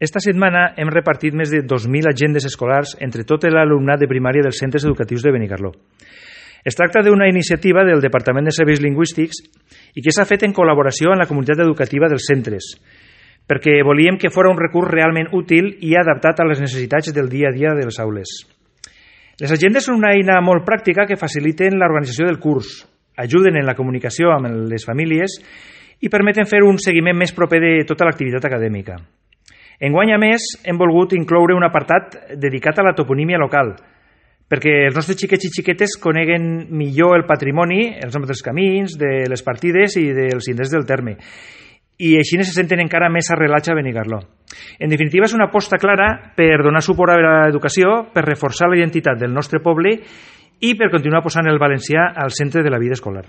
Esta setmana hem repartit més de 2.000 agendes escolars entre tot l'alumnat de primària dels centres educatius de Benicarló. Es tracta d'una iniciativa del Departament de Serveis Lingüístics i que s'ha fet en col·laboració amb la comunitat educativa dels centres, perquè volíem que fos un recurs realment útil i adaptat a les necessitats del dia a dia de les aules. Les agendes són una eina molt pràctica que faciliten l'organització del curs, ajuden en la comunicació amb les famílies i permeten fer un seguiment més proper de tota l'activitat acadèmica. Enguany, a més, hem volgut incloure un apartat dedicat a la toponímia local, perquè els nostres xiquets i xiquetes coneguen millor el patrimoni, els noms dels camins, de les partides i dels indrets del terme, i així se senten encara més arrelats a Benicarló. En definitiva, és una aposta clara per donar suport a l'educació, per reforçar la identitat del nostre poble i per continuar posant el valencià al centre de la vida escolar.